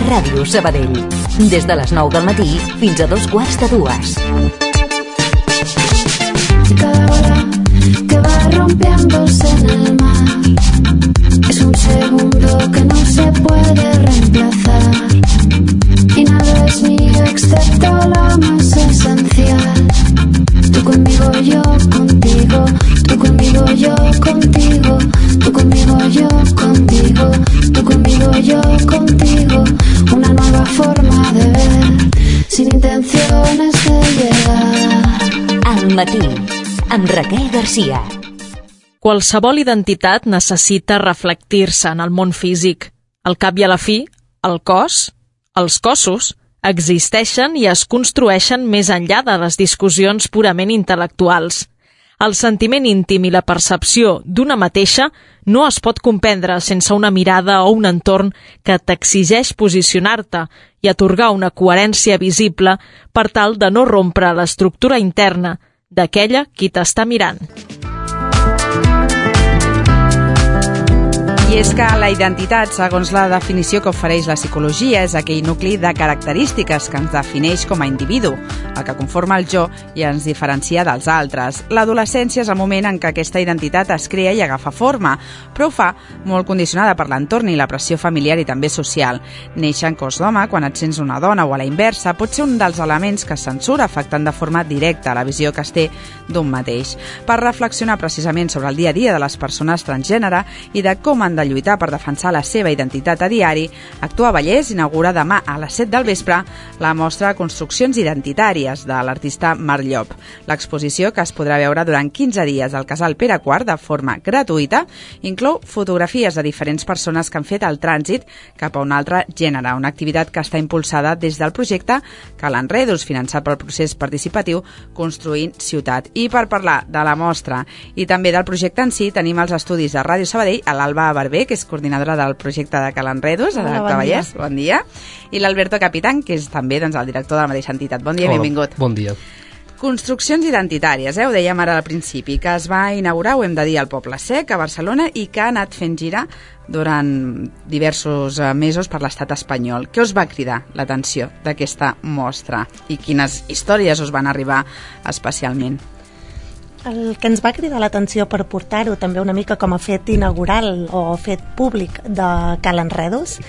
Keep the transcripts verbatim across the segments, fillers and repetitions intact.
Ràdio Sabadell. Des de les nou del matí fins a dos quarts de dues. Cada ola que va rompiéndose en el mar es un segundo que no se puede reemplazar y nada es mío excepto lo más esencial. Tú conmigo, yo contigo, tú conmigo, yo contigo, tú conmigo, yo contigo, tú conmigo, yo contigo, una nueva forma de ver, sin intenciones de llegar. Al matí, amb Raquel Garcia. Qualsevol identitat necessita reflectir-se en el món físic. Al cap i a la fi, el cos, els cossos, existeixen i es construeixen més enllà de les discussions purament intel·lectuals. El sentiment íntim i la percepció d'una mateixa no es pot comprendre sense una mirada o un entorn que t'exigeix posicionar-te i atorgar una coherència visible per tal de no rompre l'estructura interna d'aquella qui t'està mirant. I és que la identitat, segons la definició que ofereix la psicologia, és aquell nucli de característiques que ens defineix com a individu, el que conforma el jo i ens diferencia dels altres. L'adolescència és el moment en què aquesta identitat es crea i agafa forma, però ho fa molt condicionada per l'entorn i la pressió familiar i també social. Néixer en cos d'home, quan et sents una dona o a la inversa, pot ser un dels elements que es censura, afectant de forma directa la visió que es té d'un mateix. Per reflexionar precisament sobre el dia a dia de les persones transgènere i de com han de lluitar per defensar la seva identitat a diari, Actua Vallès inaugura demà a les set del vespre la mostra Construccions Identitàries de l'artista Marc Llop. L'exposició, que es podrà veure durant quinze dies al Casal Pere quart de forma gratuïta, inclou fotografies de diferents persones que han fet el trànsit cap a un altre gènere, una activitat que està impulsada des del projecte Calenredos, finançat pel procés participatiu Construint Ciutat. I per parlar de la mostra i també del projecte en si, tenim els estudis de Ràdio Sabadell a l'Alba Barber, que és coordinadora del projecte de Calenredos, Hola, a bon Vallès. Bon dia. I l'Alberto Capitán, que és també doncs, el director de la mateixa entitat. Bon dia, Hola, benvingut. Bon dia. Construccions identitàries, eh? Ho dèiem ara al principi, que es va inaugurar, ho hem de dir, al Poble Sec, a Barcelona, i que ha anat fent gira durant diversos mesos per l'estat espanyol. Què us va cridar l'atenció d'aquesta mostra i quines històries us van arribar especialment? El que ens va cridar l'atenció per portar-ho també una mica com a fet inaugural o fet públic de Calenredos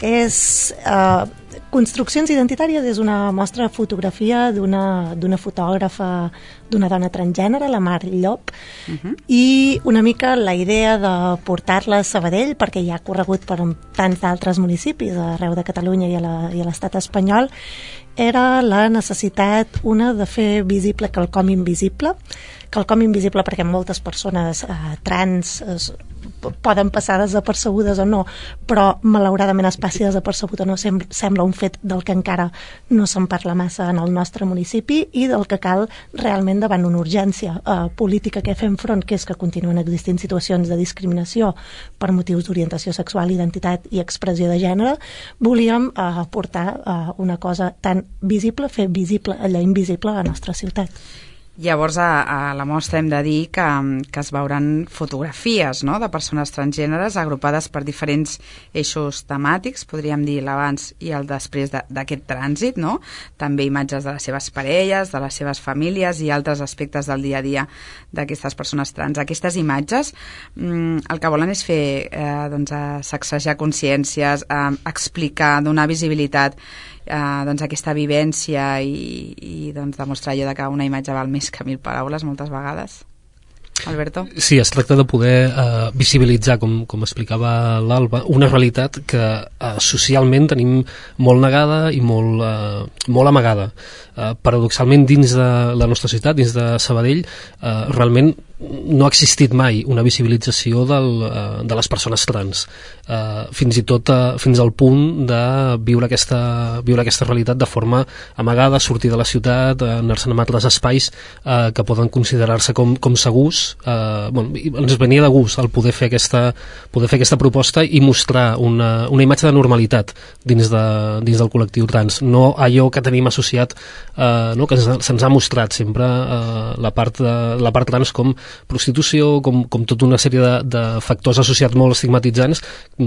és eh, Construccions Identitàries és una mostra de fotografia d'una d'una fotògrafa, d'una dona transgènere, la Marc Llop, uh-huh. i una mica la idea de portar-la a Sabadell, perquè ja ha corregut per tants d'altres municipis arreu de Catalunya i a l'estat espanyol, era la necessitat, una, de fer visible quelcom invisible, quelcom invisible perquè moltes persones eh, trans eh, poden passar desapercebudes o no, però malauradament es passi desapercebut o no sem sembla un fet del que encara no se'n parla massa en el nostre municipi i del que cal realment davant una urgència eh, política que fem front, que és que continuen existint situacions de discriminació per motius d'orientació sexual, identitat i expressió de gènere. Volíem eh, portar eh, una cosa tan visible, fer visible allò invisible a la nostra ciutat. Llavors, a, a la mostra hem de dir que, que es veuran fotografies, no?, de persones transgèneres agrupades per diferents eixos temàtics, podríem dir l'abans i el després d'aquest trànsit, no? També imatges de les seves parelles, de les seves famílies i altres aspectes del dia a dia d'aquestes persones trans. Aquestes imatges mmm, el que volen és fer eh, doncs, sacsejar consciències, eh, explicar, donar visibilitat Uh, doncs aquesta vivència i, i doncs, demostrar allò de que una imatge val més que mil paraules moltes vegades. Alberto? Sí, es tracta de poder eh, visibilitzar, com, com explicava l'Alba, una realitat que eh, socialment tenim molt negada i molt, eh, molt amagada. Eh, paradoxalment, dins de la nostra ciutat, dins de Sabadell, eh, realment no ha existit mai una visibilització del, eh, de les persones trans, eh, fins i tot eh, fins al punt de viure aquesta, viure aquesta realitat de forma amagada, sortir de la ciutat, eh, anar-se'n a altres espais eh, que poden considerar-se com, com segurs. Eh, bueno, ens venia de gust el poder fer aquesta, poder fer aquesta proposta i mostrar una, una imatge de normalitat dins, de, dins del col·lectiu trans, no allò que tenim associat, eh, no, que se'ns ha mostrat sempre eh, la, part de, la part trans com prostitució, com, com tota una sèrie de, de factors associats molt estigmatitzants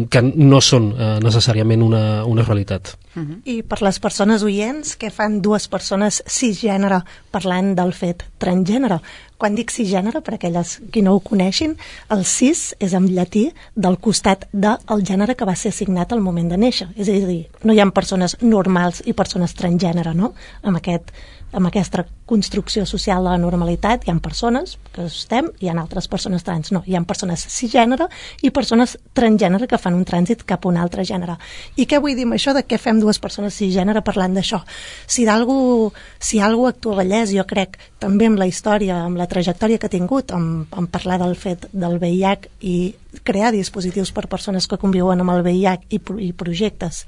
que no són eh, necessàriament una, una realitat. Uh-huh. I per les persones oients, què fan dues persones cisgènere parlant del fet transgènere? Quan dic cisgènere, per aquelles qui no ho coneixin, el cis és en llatí del costat del gènere que va ser assignat al moment de néixer. És a dir, no hi ha persones normals i persones transgènere, no? Amb aquest amb aquesta construcció social de la normalitat hi ha persones que estem, hi ha altres persones trans, no, hi ha persones cisgènere i persones transgènere que fan un trànsit cap a un altre gènere. I què vull dir amb això de què fem dues persones cisgènere parlant d'això? Si d'algú si algú actua Vallès, jo crec, també amb la història, amb la trajectòria que ha tingut, amb, amb parlar del fet del V I H i crear dispositius per persones que conviuen amb el V I H i, i projectes.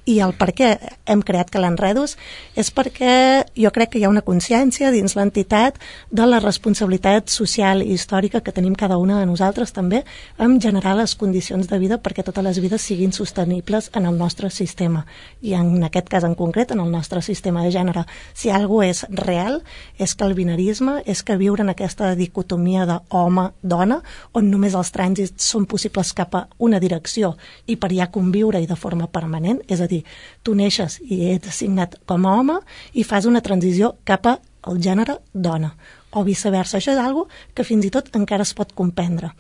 I el per què hem creat Calenredos és perquè jo crec que hi ha una consciència dins l'entitat de la responsabilitat social i històrica que tenim cada una de nosaltres també en generar les condicions de vida perquè totes les vides siguin sostenibles en el nostre sistema. I en aquest cas en concret, en el nostre sistema de gènere. Si algo és real, és que el binarisme, és que viure en aquesta dicotomia d'home-dona, on només els trànsits són possibles cap a una direcció i per allà conviure i de forma permanent, és a dir, tu neixes i ets assignat com a home i fas una transició cap al gènere dona, o viceversa. Això és algo que fins i tot encara es pot comprendre.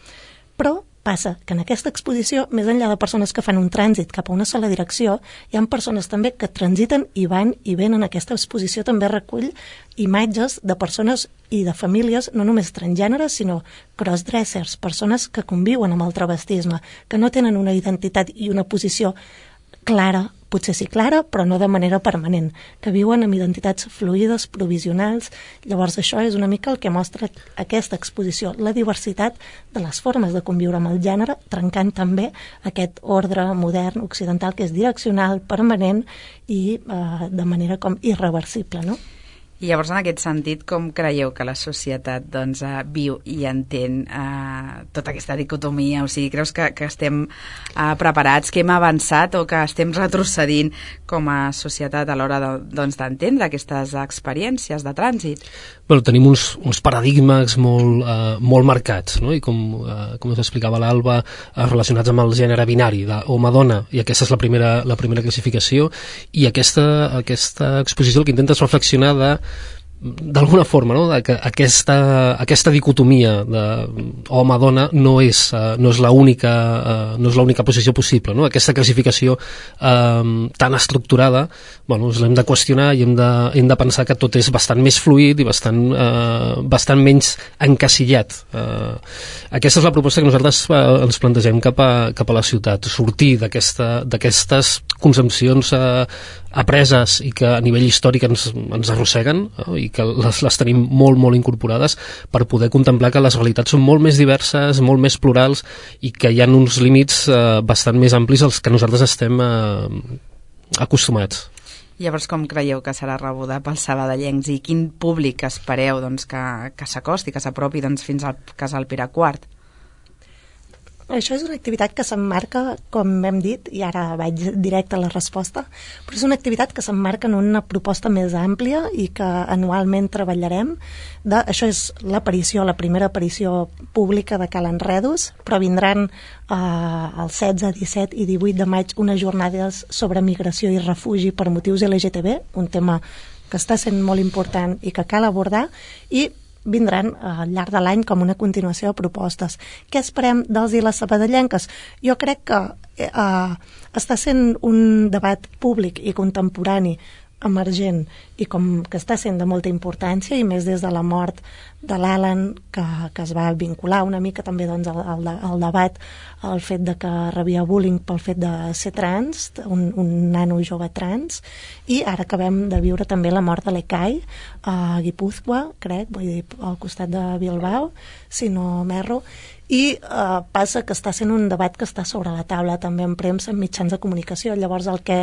Però passa que en aquesta exposició, més enllà de persones que fan un trànsit cap a una sola direcció, hi ha persones també que transiten i van i venen. Aquesta exposició també recull imatges de persones i de famílies, no només transgèneres, sinó crossdressers, persones que conviuen amb el travestisme, que no tenen una identitat i una posició clara, potser sí clara, però no de manera permanent, que viuen amb identitats fluides, provisionals. Llavors això és una mica el que mostra aquesta exposició, la diversitat de les formes de conviure amb el gènere, trencant també aquest ordre modern occidental que és direccional, permanent i eh, de manera com irreversible, no? I llavors, en aquest sentit, com creieu que la societat doncs, uh, viu i entén uh, tota aquesta dicotomia? O sigui, creus que, que estem uh, preparats, que hem avançat o que estem retrocedint com a societat a l'hora de, doncs, d'entendre aquestes experiències de trànsit? Bueno, tenim uns, uns paradigmes molt, uh, molt marcats, no? I com, uh, com us explicava l'Alba, uh, relacionats amb el gènere binari, d'home-dona, i aquesta és la primera, la primera classificació, i aquesta, aquesta exposició el que intenta és reflexionar de d'alguna forma, no? De que aquesta, aquesta dicotomia de home-dona no és, uh, no és l'única uh, no és l'única posició possible, no? Aquesta classificació uh, tan estructurada, bueno, l'hem de qüestionar i hem de, hem de pensar que tot és bastant més fluid i bastant, uh, bastant menys encasillat. Uh, aquesta és la proposta que nosaltres uh, ens plantegem cap a, cap a la ciutat, sortir d'aquesta, d'aquestes concepcions uh, apreses i que a nivell històric ens, ens arrosseguen, no? I que les, les tenim molt, molt incorporades per poder contemplar que les realitats són molt més diverses, molt més plurals i que hi ha uns límits eh, bastant més amplis als que nosaltres estem eh, acostumats. Llavors, com creieu que serà rebuda pels sabadellencs i quin públic espereu doncs, que, que s'acosti, que s'apropi doncs, fins al Casal Pere quart? Això és una activitat que s'emmarca, com hem dit, i ara vaig directe a la resposta, però és una activitat que s'emmarca en una proposta més àmplia i que anualment treballarem. De, això és l'aparició, la primera aparició pública de Calenredos, però vindran eh, el setze, disset i divuit de maig unes jornades sobre migració i refugi per motius L G T B, un tema que està sent molt important i que cal abordar, i vindran al llarg de l'any com una continuació de propostes. Què esperem dels i les sabadellenques? Jo crec que eh, està sent un debat públic i contemporani emergent i com que està sent de molta importància i més des de la mort de l'Alan que, que es va vincular una mica també doncs, al, al, al debat el fet de que rebia bullying pel fet de ser trans, un, un nano jove trans, i ara acabem de viure també la mort de l'Ecai a Guipúzcoa, crec, vull dir, al costat de Bilbao, si no m'erro, i eh, passa que està sent un debat que està sobre la taula també en premsa, en mitjans de comunicació. Llavors el que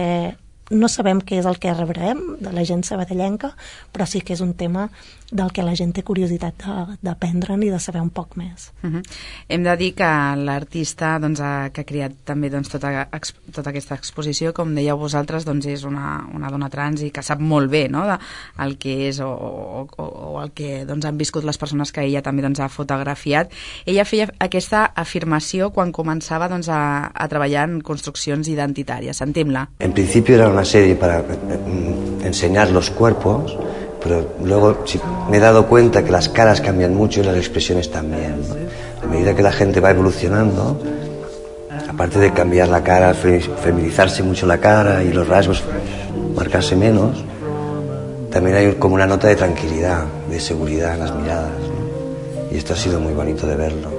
no sabem què és el que rebrem de la gent sabadellenca, però sí que és un tema del que la gent té curiositat d'aprendre'n i de saber un poc més. Uh-huh. Hem de dir que l'artista doncs, ha, que ha creat també doncs, tota, ex, tota aquesta exposició, com dèieu vosaltres, doncs, és una, una dona trans i que sap molt bé, no?, de, el que és o, o, o el que doncs, han viscut les persones que ella també doncs, ha fotografiat. Ella feia aquesta afirmació quan començava doncs, a, a treballar en construccions identitàries. Sentim-la. En principio era una serie para enseñar los cuerpos, pero luego sí, me he dado cuenta que las caras cambian mucho y las expresiones también, ¿no? A medida que la gente va evolucionando, aparte de cambiar la cara, feminizarse mucho la cara y los rasgos marcarse menos, también hay como una nota de tranquilidad, de seguridad en las miradas, ¿no? Y esto ha sido muy bonito de verlo.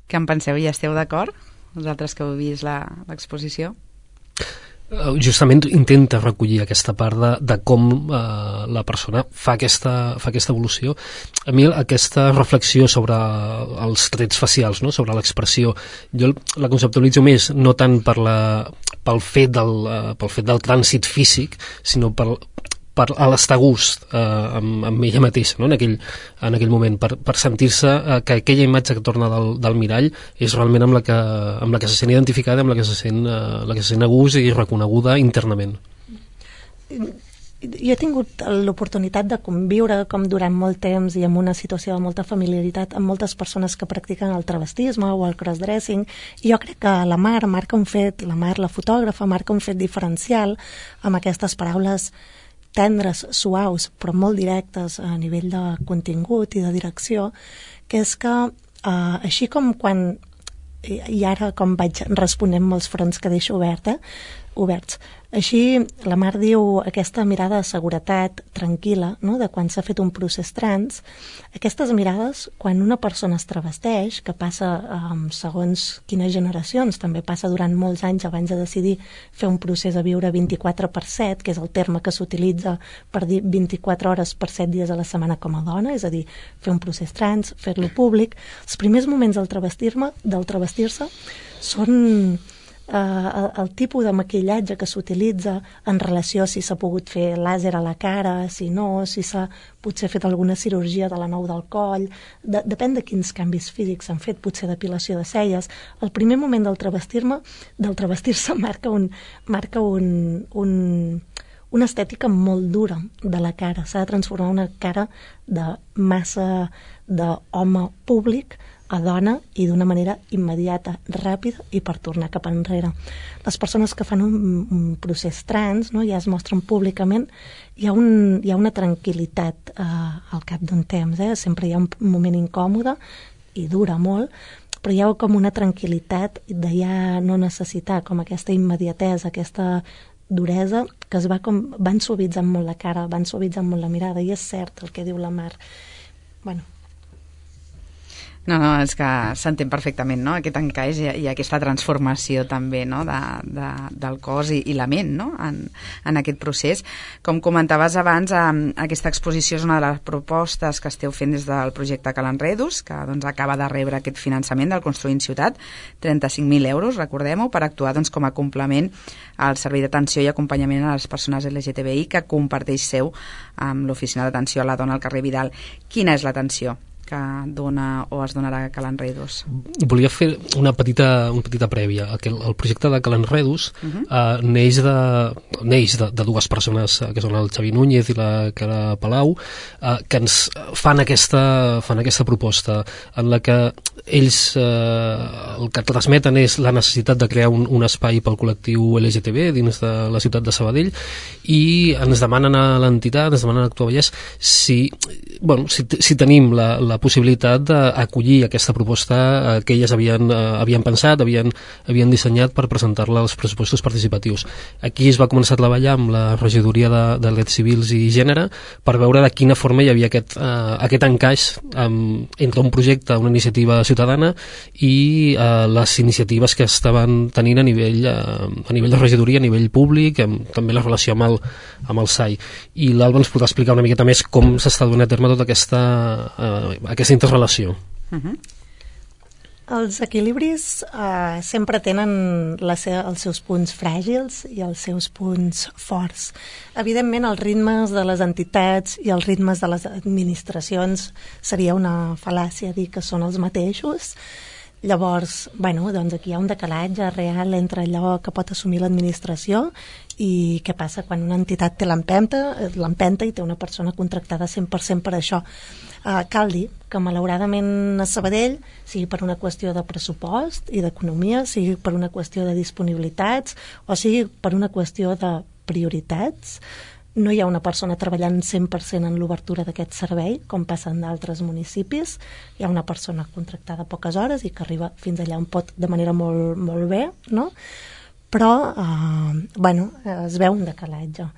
Què en penseu? I esteu d'acord? Vosaltres que heu vist l'exposició? Justament intenta recollir aquesta part de, de com eh, la persona fa aquesta, fa aquesta evolució. A mi aquesta reflexió sobre els trets facials, no?, sobre l'expressió, jo la conceptualitzo més no tant per la, pel, fet del, uh, pel fet del trànsit físic, sinó per, per l'estar a gust eh, amb, amb ella mateixa, no?, en, aquell, en aquell moment, per, per sentir-se eh, que aquella imatge que torna del, del mirall és realment amb la, que, amb la que se sent identificada, amb la que se sent, eh, la que se sent a gust i reconeguda internament. Jo he tingut l'oportunitat de conviure com durant molt temps i amb una situació de molta familiaritat amb moltes persones que practiquen el travestisme o el crossdressing, i jo crec que la Mar marca un fet, la Mar, la fotògrafa, marca un fet diferencial amb aquestes paraules tendres, suaus, però molt directes a nivell de contingut i de direcció, que és que eh, així com quan, i ara com vaig responent molts fronts que deixo obert, eh, oberts, així la Mar diu aquesta mirada de seguretat tranquil·la, no?, de quan s'ha fet un procés trans. Aquestes mirades, quan una persona es travesteix, que passa um, segons quines generacions, també passa durant molts anys abans de decidir fer un procés a viure vint-i-quatre per set, que és el terme que s'utilitza per dir vint-i-quatre hores per set dies a la setmana com a dona, és a dir, fer un procés trans, fer-lo públic. Els primers moments del travestir-me, del travestir-se són Uh, el, el tipus de maquillatge que s'utilitza en relació a si s'ha pogut fer làser a la cara, si no, si s'ha potser fet alguna cirurgia de la nou del coll, de, depèn de quins canvis físics s'han fet, potser depilació de celles. El primer moment del travestir-me, del travestir-se marca un, marca un, un, una estètica molt dura de la cara. S'ha de transformar una cara de massa d'home públic a dona i d'una manera immediata, ràpida i per tornar cap enrere. Les persones que fan un, un procés trans, no, ja es mostren públicament, hi ha, un, hi ha una tranquil·litat eh, al cap d'un temps, eh? Sempre hi ha un moment incòmode i dura molt, però hi ha com una tranquil·litat de ja no necessitar com aquesta immediatesa, aquesta duresa que es va com, van suavitzant molt la cara, van suavitzant molt la mirada, i és cert el que diu la Mar. Bueno, No, no, és que s'entén perfectament, no?, aquest encaix i, i aquesta transformació també, no?, de, de, del cos i, i la ment, no?, en, en aquest procés. Com comentaves abans, eh, aquesta exposició és una de les propostes que esteu fent des del projecte Calenredus, que doncs, acaba de rebre aquest finançament del Construint Ciutat, trenta-cinc mil euros, recordem-ho, per actuar doncs, com a complement al servei d'atenció i acompanyament a les persones L G T B I que comparteix seu amb l'Oficina d'Atenció a la Dona al carrer Vidal. Quina és l'atenció que dona o es donarà a Calenredus? Volia fer una petita, una petita prèvia. El, el projecte de Calenredus uh-huh. eh, neix, de, neix de, de dues persones, que són el Xavi Núñez i la Cara Palau, eh, que ens fan aquesta, fan aquesta proposta en la que ells eh, el que transmeten és la necessitat de crear un, un espai pel col·lectiu L G T B dins de la ciutat de Sabadell, i ens demanen a l'entitat, ens demanen a Actua Vallès si, bueno, si, si tenim la, la possibilitat d'acollir aquesta proposta eh, que elles havien, eh, havien pensat, havien, havien dissenyat per presentar-la als pressupostos participatius. Aquí es va començar a treballar amb la regidoria de, de drets civils i gènere per veure de quina forma hi havia aquest, eh, aquest encaix eh, entre un projecte, una iniciativa ciutadana i eh, les iniciatives que estaven tenint a nivell, eh, a nivell de regidoria, a nivell públic, amb, també la relació amb el, amb el S A I. I l'Alba ens podrà explicar una miqueta més com s'està donant a terme tota aquesta, eh, aquesta interrelació. Uh-huh. Els equilibris eh, sempre tenen la se els seus punts fràgils i els seus punts forts. Evidentment, els ritmes de les entitats i els ritmes de les administracions seria una fal·làcia dir que són els mateixos. Llavors, bueno, doncs aquí hi ha un decalatge real entre allò que pot assumir l'administració i què passa quan una entitat té l'empenta, l'empenta i té una persona contractada cent per cent per això. Uh, cal dir que malauradament a Sabadell, sigui per una qüestió de pressupost i d'economia, sigui per una qüestió de disponibilitats o sigui per una qüestió de prioritats, no hi ha una persona treballant cent per cent en l'obertura d'aquest servei, com passa en d'altres municipis. Hi ha una persona contractada poques hores i que arriba fins allà on pot de manera molt, molt bé, no? Però, eh, bueno, es veu un decalatge.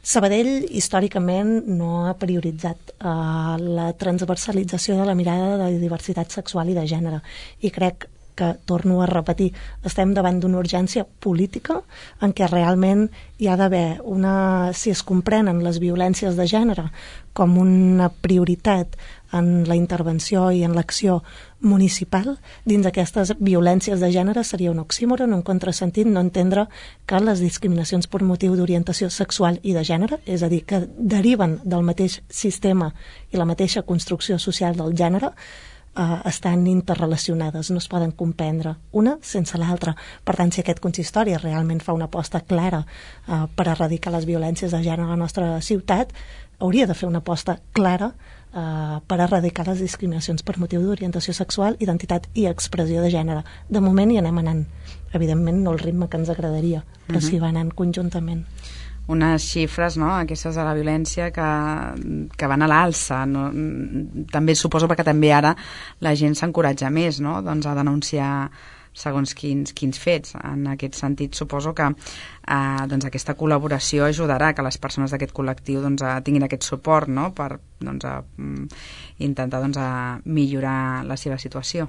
Sabadell, històricament, no ha prioritzat eh, la transversalització de la mirada de diversitat sexual i de gènere. I crec que, torno a repetir, estem davant d'una urgència política en què realment hi ha d'haver una... Si es comprenen les violències de gènere com una prioritat en la intervenció i en l'acció municipal, dins d'aquestes violències de gènere seria un oxímoron, un contrasentit no entendre que les discriminacions per motiu d'orientació sexual i de gènere, és a dir, que deriven del mateix sistema i la mateixa construcció social del gènere, eh, estan interrelacionades, no es poden comprendre una sense l'altra. Per tant, si aquest consistori realment fa una aposta clara eh, per erradicar les violències de gènere a la nostra ciutat, hauria de fer una aposta clara Uh, per erradicar les discriminacions per motiu d'orientació sexual, identitat i expressió de gènere. De moment hi anem anant. Evidentment no el ritme que ens agradaria, però uh-huh. sí va anant conjuntament. Unes xifres, no?, aquestes de la violència que, que van a l'alça. No? També suposo perquè també ara la gent s'encoratja més, no?, doncs a denunciar segons quins, quins fets. En aquest sentit, suposo que eh, doncs aquesta col·laboració ajudarà que les persones d'aquest col·lectiu doncs, tinguin aquest suport, no?, per doncs, a, intentar doncs, a millorar la seva situació.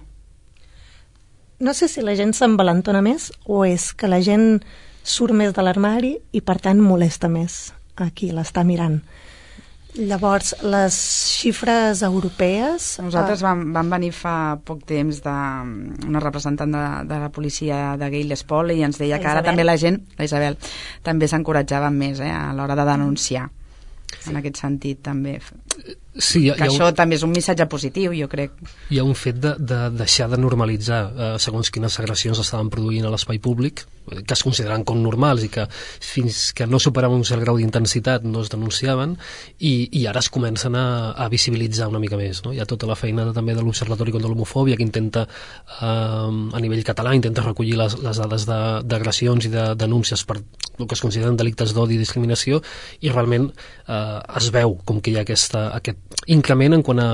No sé si la gent s'envalentona més o és que la gent surt més de l'armari i, per tant, molesta més a qui l'està mirant. Llavors, les xifres europees... Nosaltres vam, vam venir fa poc temps de una representant de, de la policia de Gales Pol i ens deia que ara també la gent, la Isabel, també s'encoratjava més eh, a l'hora de denunciar. Sí. En aquest sentit, també... Sí, que això un... també és un missatge positiu, jo crec. Hi ha un fet de, de deixar de normalitzar eh, segons quines agressions estaven produint a l'espai públic, que es consideren com normals i que fins que no superaven un cert grau d'intensitat no es denunciaven, i, i ara es comencen a, a visibilitzar una mica més, no? Hi ha tota la feina de, també de l'Observatori contra l'Homofòbia que intenta, eh, a nivell català, intenta recollir les, les dades d'agressions i de denúncies per el que es consideren delictes d'odi i discriminació, i realment eh, es veu com que hi ha aquesta, aquest increment en quant a,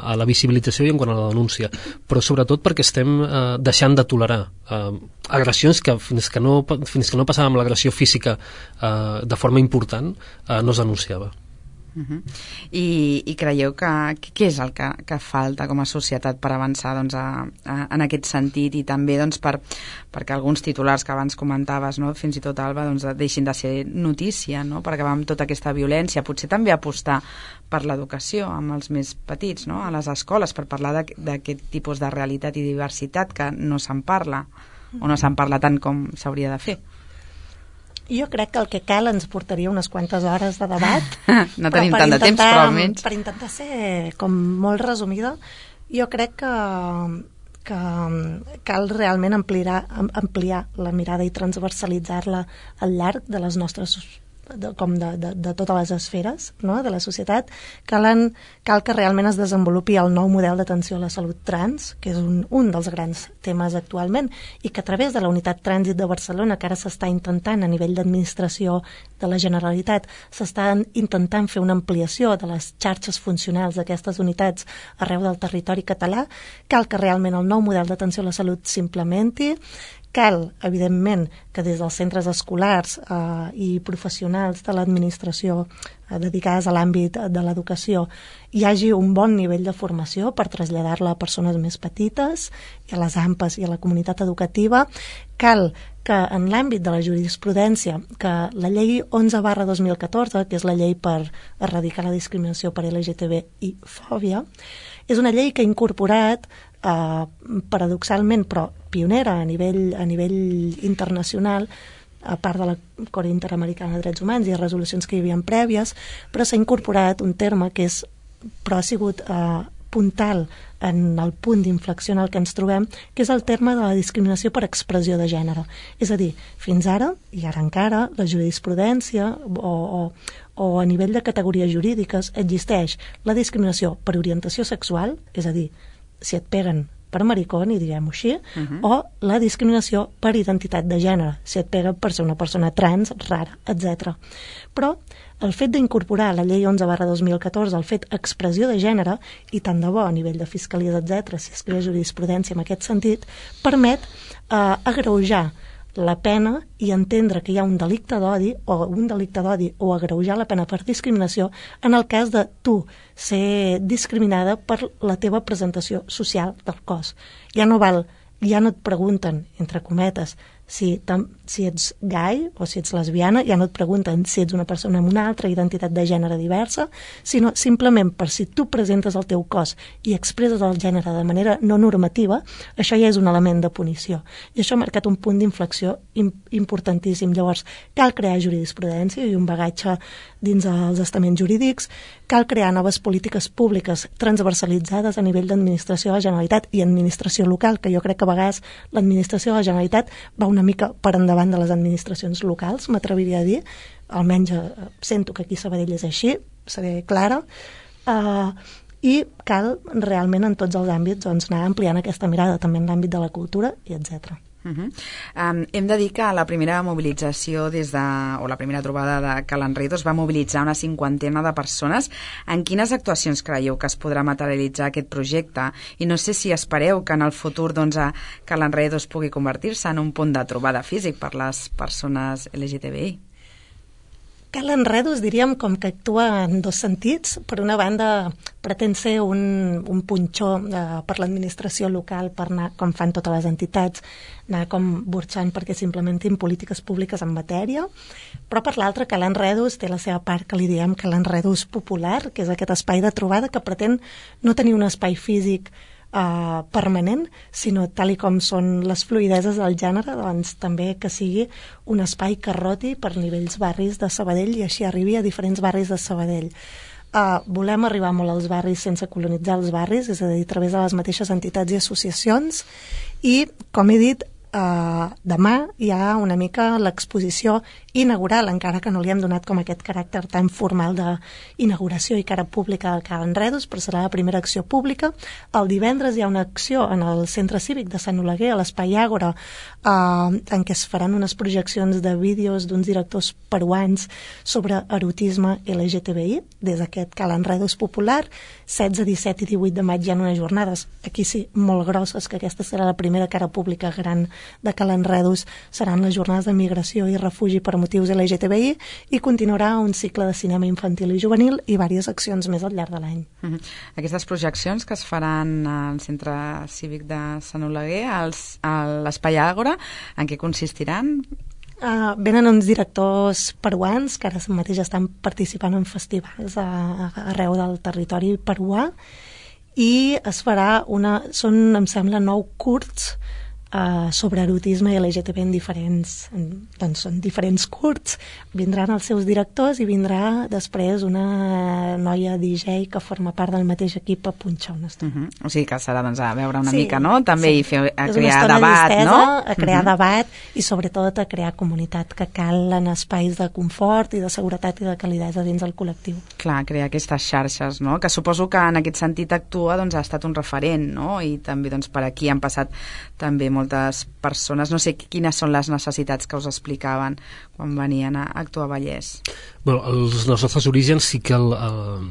a la visibilització i en quant a la denúncia, però sobretot perquè estem eh, deixant de tolerar eh, agressions que fins que no, fins que no passàvem l'agressió física eh, de forma important eh, no es denunciava. Uh-huh. I, i creieu que què és el que, que falta com a societat per avançar doncs, a, a, en aquest sentit, i també doncs, per, perquè alguns titulars que abans comentaves, no? Fins i tot, Alba, doncs, deixin de ser notícia, no? Per acabar amb tota aquesta violència, potser també apostar per l'educació amb els més petits, no? A les escoles, per parlar d'aquest tipus de realitat i diversitat que no se'n parla o no se'n parla tant com s'hauria de fer. Jo crec que el que cal ens portaria unes quantes hores de debat. No tenim tant de temps, però almenys... Per intentar ser com molt resumida, jo crec que, que cal realment ampliar, ampliar la mirada i transversalitzar-la al llarg de les nostres de, com de, de, de totes les esferes, no?, de la societat. Calen, cal que realment es desenvolupi el nou model d'atenció a la salut trans, que és un, un dels grans temes actualment, i que a través de la Unitat Trànsit de Barcelona, que ara s'està intentant a nivell d'administració de la Generalitat, s'està intentant fer una ampliació de les xarxes funcionals d'aquestes unitats arreu del territori català. Cal que realment el nou model d'atenció a la salut s'implementi. Cal, evidentment, que des dels centres escolars eh, i professionals de l'administració eh, dedicades a l'àmbit de l'educació hi hagi un bon nivell de formació per traslladar-la a persones més petites i a les A M P Es i a la comunitat educativa. Cal que en l'àmbit de la jurisprudència, que la llei onze barra dos mil catorze, que és la llei per erradicar la discriminació per L G T B i fòbia, és una llei que ha incorporat eh, paradoxalment, però pionera a nivell, a nivell internacional, a part de la Cort Interamericana de Drets Humans i resolucions que hi havia prèvies, però s'ha incorporat un terme que és, però ha sigut eh, puntal en el punt d'inflexió en el que ens trobem, que és el terme de la discriminació per expressió de gènere. És a dir, fins ara, i ara encara, la jurisprudència o, o, o a nivell de categories jurídiques existeix la discriminació per orientació sexual, és a dir, si et peguen per maricón, i diguem-ho així, uh-huh. o la discriminació per identitat de gènere, si et pega per ser una persona trans, rara, etcètera. Però el fet d'incorporar a la llei onze barra dos mil catorze el fet expressió de gènere, i tant de bo a nivell de fiscalies, etcètera, si es crea jurisprudència en aquest sentit, permet eh, agreujar la pena i entendre que hi ha un delicte d'odi o un delicte d'odi o agreujar la pena per discriminació en el cas de tu ser discriminada per la teva presentació social del cos. Ja no val, ja no et pregunten, entre cometes, si, tam, si ets gai o si ets lesbiana, ja no et pregunten si ets una persona amb una altra identitat de gènere diversa, sinó simplement per si tu presentes el teu cos i expresses el gènere de manera no normativa, això ja és un element de punició. I això ha marcat un punt d'inflexió importantíssim. Llavors, cal crear jurisprudència i un bagatge dins els estaments jurídics, cal crear noves polítiques públiques transversalitzades a nivell d'administració de la Generalitat i administració local, que jo crec que a vegades l'administració de la Generalitat va una mica per endavant de les administracions locals, m'atreviria a dir, almenys eh, sento que aquí a Sabadell és així, seré clara, eh, i cal realment en tots els àmbits doncs, anar ampliant aquesta mirada, també en l'àmbit de la cultura i etcètera. Uh-huh. Um, hem de dir que la primera mobilització des de, o la primera trobada de Cal Enredos va mobilitzar una cinquantena de persones. En quines actuacions creieu que es podrà materialitzar aquest projecte? I no sé si espereu que en el futur doncs, Cal Enredos pugui convertir-se en un punt de trobada físic per les persones L G T B I. Cal Enredos, diríem, com que actua en dos sentits. Per una banda, pretén ser un, un punxó eh, per l'administració local, per anar, com fan totes les entitats, anar com burxant perquè s'implementin polítiques públiques en matèria, però per l'altra, Cal Enredos té la seva part que li diem Cal Enredos popular, que és aquest espai de trobada que pretén no tenir un espai físic Uh, permanent, sinó tal i com són les fluïdeses del gènere, doncs també que sigui un espai que roti per nivells barris de Sabadell i així arribi a diferents barris de Sabadell. Uh, volem arribar molt als barris sense colonitzar els barris, és a dir, a través de les mateixes entitats i associacions, i, com he dit, Uh, demà hi ha una mica l'exposició inaugural, encara que no li hem donat com aquest caràcter tan formal d'inauguració i cara pública al Cal Enredos, però serà la primera acció pública. El divendres hi ha una acció en el Centre Cívic de Sant Oleguer, a l'Espai Àgora, uh, en què es faran unes projeccions de vídeos d'uns directors peruans sobre erotisme L G T B I, des d'aquest Cal Enredos popular. setze, disset i divuit de maig hi ha unes jornades, aquí sí, molt grosses, que aquesta serà la primera cara pública gran de Cal Enredos, seran les jornades de migració i refugi per motius L G T B I, i continuarà un cicle de cinema infantil i juvenil i diverses accions més al llarg de l'any. Uh-huh. Aquestes projeccions que es faran al Centre Cívic de Sant Oleguer, als, a l'Espai Àgora, en què consistiran? Uh, venen uns directors peruans que ara mateix estan participant en festivals a, a, arreu del territori peruà, i es farà una, són, em sembla, nou curts Uh, sobre erotisme i L G T B en diferents, en, doncs són diferents curts, vindran els seus directors i vindrà després una noia D J que forma part del mateix equip a punxar una estona. Uh-huh. O sigui que serà doncs, a veure una sí, mica, no? També sí. I fer, a és crear debat, distesa, no? A crear uh-huh. debat i sobretot a crear comunitat, que cal en espais de confort i de seguretat i de calidesa dins el col·lectiu. Clar, crear aquestes xarxes, no? Que suposo que en aquest sentit actua, doncs ha estat un referent, no? I també doncs, per aquí han passat també moltes persones. No sé quines són les necessitats que us explicaven quan venien a actuar a Vallès. Bueno, els nostres orígens sí que el, el,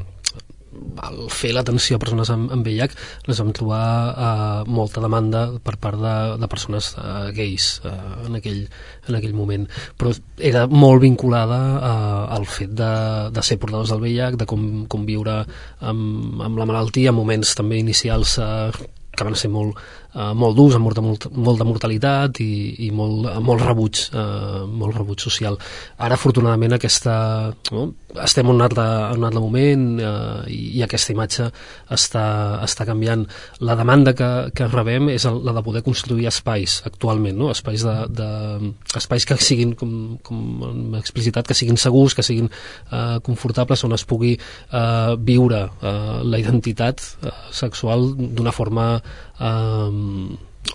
el fer l'atenció a persones amb, amb V I H les vam trobar eh, molta demanda per part de, de persones eh, gais eh, en, aquell, en aquell moment, però era molt vinculada eh, al fet de, de ser portadors del V I H, de com, com viure amb, amb la malaltia, en moments també inicials eh, que van ser molt uh, molt durs, amb molt de, molt de mortalitat i, i molt, molt rebuig, uh, molt rebuig social. Ara, afortunadament, aquesta, no? estem en un altre, en un altre moment uh, i, i aquesta imatge està, està canviant. La demanda que, que rebem és la de poder construir espais actualment, no? espais, de, de, espais que siguin, com, com hem explicitat, que siguin segurs, que siguin uh, confortables, on es pugui uh, viure uh, la identitat uh, sexual d'una forma uh,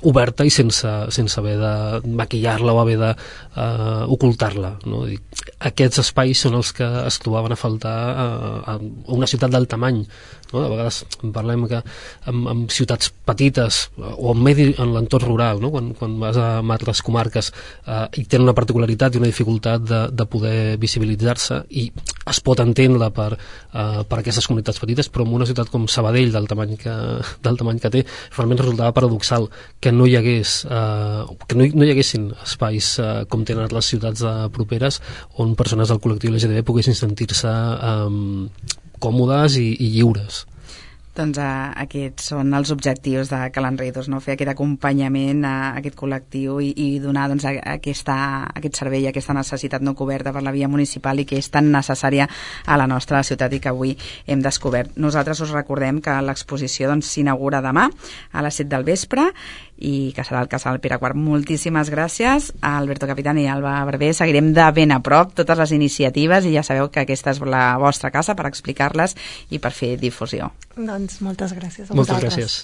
oberta i sense, sense haver de maquillar-la o haver de uh, ocultar-la, no? Aquests espais són els que es trobaven a faltar uh, a una ciutat del tamany, no? A vegades parlem que en, en ciutats petites o en, medi, en l'entorn rural, no? quan, quan vas a altres comarques uh, i tenen una particularitat i una dificultat de, de poder visibilitzar-se, i es pot entendre per, uh, per aquestes comunitats petites, però en una ciutat com Sabadell, del tamany que, del tamany que té, realment resultava paradoxal que no hi hagués uh, que no hi, no hi haguessin espais uh, com tenen les ciutats uh, properes, on persones del col·lectiu L G T B poguessin sentir-se um, còmodes i, i lliures. Doncs uh, aquests són els objectius de Calanredos, no? Fer aquest acompanyament a aquest col·lectiu i, i donar doncs, a, a aquesta, aquest servei, aquesta necessitat no coberta per la via municipal i que és tan necessària a la nostra ciutat i que avui hem descobert. Nosaltres us recordem que l'exposició doncs, s'inaugura demà a les set del vespre i que serà el Casal Pere quart. Moltíssimes gràcies a Alberto Capitán i Alba Barber. Seguirem de ben a prop totes les iniciatives i ja sabeu que aquesta és la vostra casa per explicar-les i per fer difusió. Doncs moltes gràcies a moltes vosaltres. Gràcies.